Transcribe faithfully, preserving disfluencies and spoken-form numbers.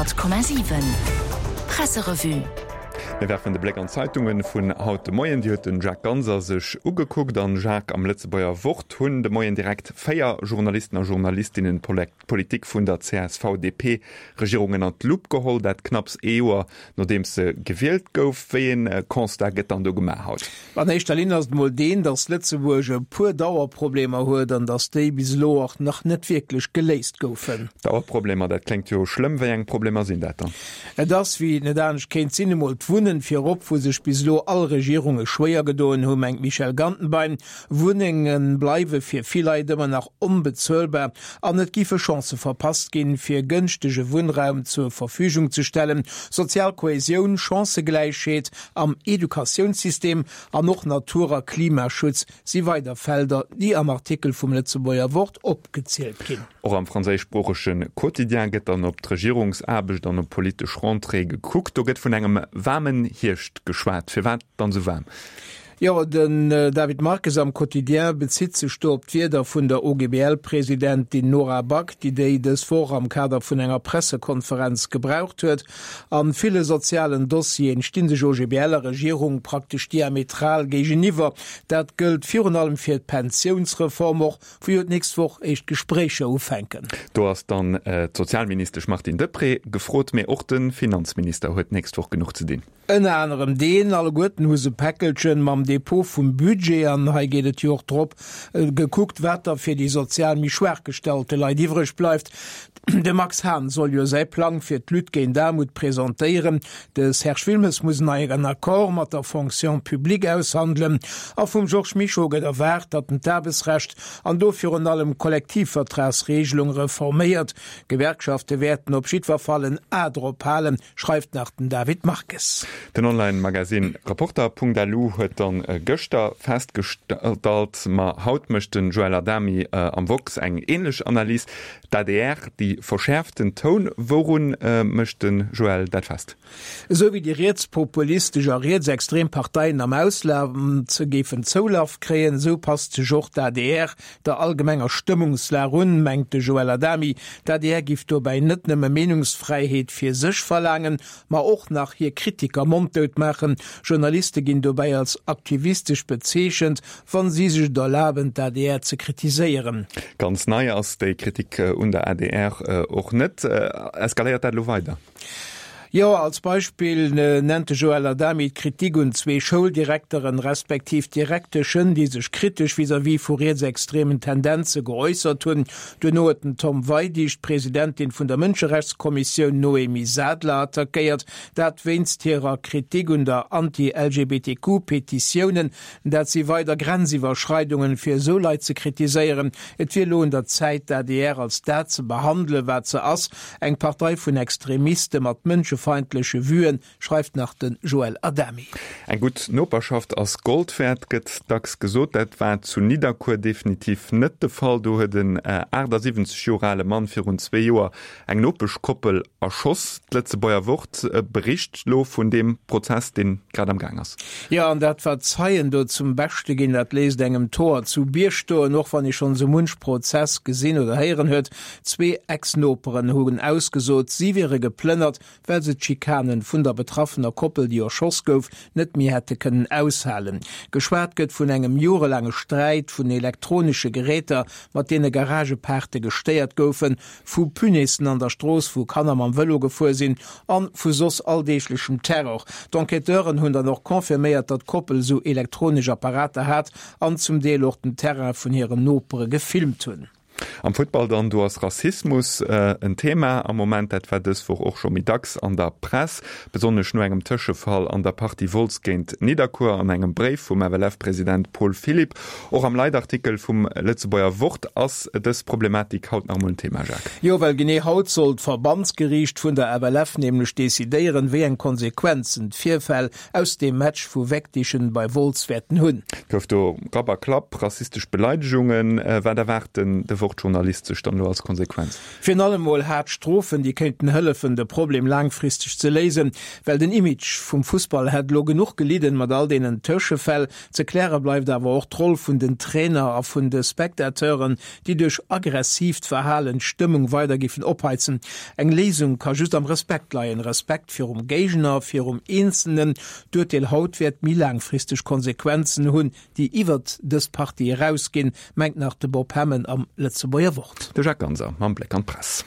Honnert Komma siwen Presserevue. Mir werfen de Bléck an d'Zeitunge vun haut de Moien. Déi huet den Jacques Ganser sech ugekuckt. An Jacques, am Lëtzebuerger Wort hunn de Moien direkt véier Journalisten a Journalistinnen d'Politik vun der C S V D P Regierung ënnert d'Lupp geholl, dat knapps ee Joer nodeems se gewielt gouf. Wéi een Constat gëtt dann do gemaach haut? An éischter Linn ass et mol deen, datt Lëtzebuerg e puer Dauerproblemer huet an datt déi bis elo och nach net wierklech geléist goufen. Dauerproblemer, dat kléngt jo schlëmm. Wéi eng Problemer sinn dat dann? Et ass, wéi et net anescht kéint sinn, emol d'Wunnen virop, wou sech bis elo all Regierunge schwéier gedoen hu, mengt d'Michèle Gantenbein. Wunnenge bleiwe fir vill Leit ëmmer nach onbezuelbar an et géife Chancë verpasst ginn, fir gënschtege Wunnraum zur Verfügung ze stellen. Sozial Kohäsioun, Chancëgläichheet am Educatiounssystem an och Natur a Klimaschutz si weider Felder, déi am Artikel vum Lëtzebuerger Wort opgezielt ginn. Och am franséischsproochege Quotidien gëtt dann op d'Regierungsaarbecht an op d'politesch Rentrée gekuckt. Do gëtt vun engem waarmen Hierscht geschwat. Firwat dann esou waarm? Jo, den David Marques am Quotidien bezitt sech do op d'Wierder vun der O G B L-Presidentin Nora Back, déi déi dës Woch am Kader vun enger Pressekonferenz gebraucht huet. A ville sozialen Dossieren sti sech O G B L a Regierung praktesch diametral géigeniwwer. Dat gëllt virun allem fir d'Pensiounsreform, och wou jo d'nächst Woch éischt Gespréicher ufänken. Do ass dann d'Sozialministesch Martine Deprez gefrot, mee och de Finanzminister huet d'nächst Woch genuch ze dinn. Ënner anerem deen, alleguerten hu se Päckelchen mam Depot vum Budget an hei geet et jo och drop, gekuckt, wat da fir déi sozial méi schwaach gestallte Leit iwwreg bleift. De Max Hahn soll jo säi Plang fir d'Lutte géint d'Aarmut presentéieren, de Serge Wilmes muss en neien Accord mat der Fonction publique aushandelen a vum Georges Mischo gëtt erwaart, datt en d'Aarbechtsrecht an do virun allem d'Kollektivvertragsregelung reforméiert. D'Gewerkschafte wäerten op jiddwer Fall en A drop halen, schreift nach den David Marques. Den Online-Magasinn Reporter Punkt L U huet dann gëschter festgestallt, ma haut mécht den Joël Adami am Woxx eng änlech Analys, D'A D R, déi verschäerft den Toun. Wourun mécht den Joël dat fest? Esou wéi déi rietspopulistesch a rietsextrem Parteien am Ausland géifen Zoulaf kréien, esou passt sech och d'A D R der allgemenger Stëmmungslag un, mengt de Joël Adami. D'A D R giff dobäi net nëmme Meenungsfräiheet fir sech verlaangen, ma och nach hir Kritiker monddout maachen. Journaliste ginn dobäi als aktivistesch bezeechent, wann si sech et erlaben, d'A D R ze kritiséieren. Ganz nei ass déi Kritik un der A D R och net. Eskaléiert dat elo weider? Jo, als Beispill nennt de Joël Adami d'Kritik un zwee Schouldirekteren, respektiv Direkteschen, déi sech kritesch vis-à-vis vu rietsextremen Tendenze geäussert hunn. Duerno huet den Tom Weidig d'Presidentin vun der Mënscherechtskommissioun Noémie Sadler attackéiert, dat wéinst hirer Kritik un der Anti-L G B T Q-Petitiounen. Dat si weider Grenziwwerschreidungen, fir esou Leit ze kritiséieren. Et wier elo un der Zäit, d'A D R als dat ze behandelen, wat se ass, eng Partei vun Extremiste mat mënschefeindleche Vuen, schreift nach de Joël Adami. Eng gutt Noperschaft ass Gold wäert, gëtt dacks gesot. Dat war zu Nidderkuer definitiv net de Fall. Do huet en achtasiwwenzeg Joer ale Mann virun zwee Joer eng Nopeschkoppel erschoss. D'Lëtzebuerger Wort bericht lo vun deem Prozess, dee grad am Gaang ass. Jo, an dat wat d'Zeien do zum Beschte ginn, dat léisst engem d'Hoer zu Bierg stoen, och wann ee schonn esou munch Prozess gesinn oder héieren huet. Zwee Ex-Noperen hunn ausgesot, si wiere geplënnert, well se d'Schikanen vun der betraffener Koppel, déi erschoss gouf, net méi hätte kënnen aushalen. Geschwat gëtt vun engem jorelaange Sträit, vun elektronesche Geräter, mat deene Garagepaarte gestéiert goufen, vu Punaisen an der Strooss, wou Kanner mam Vëlo gefuer sinn, an vu soss alldeeglechem Terror. D'Enquêteuren hunn dann och confirméiert, datt d'Koppel esou elektronesch Apparater hat an zum Deel och den Terrain vun hiren Nopere gefilmt hunn. Am Futtball dann, do ass Rassismus en Thema am Moment. Dat war dës Woch och scho méi dacks an der Press, besonnesch no engem Tëschefall an der Partie Wolz géint Nidderkuer an engem Bréif vum F L F-President Paul Philipp. Och am Leitartikel vum Lëtzebuerger Wort ass dës Problematik haut nach emol en Thema, Jacques. Jo, well genee haut soll d'Verbandsgeriicht vun der F L F nämlech decidéieren, wéi eng Konsequenzen d'Virfäll aus dem Match vu Wegdichen bei Wolz wäerten hunn. Et gouf do Rapp a Klapp, rassistesch Beleidegungen. Wat erwaart den de Wortjournalist sech dann elo als Konsequenz? Virun allem mol haart Strofen, déi kéinten hëllefen, de Problem laangfristeg ze léisen. Well den Image vum Fussball hätt elo genuch gelidden, mat all deenen Tëschefäll. Ze kläre bleift awer och d'Roll vun den Trainer a vun de Spectateuren, déi duerch aggressiivt Verhalen d'Stëmmung weider giffen opheizen. Eng Léisung ka just am Respekt leien, Respekt virum Géigner, virum Eenzelnen. D'Urteel haut wäert méi laangfristeg Konsequenzen hunn, déi iwwert dës Partie erausginn, mengt nach de Bob Hemmen am Lëtzebuerger Wort. De Jacques Ganser mam Bléck an d'Press.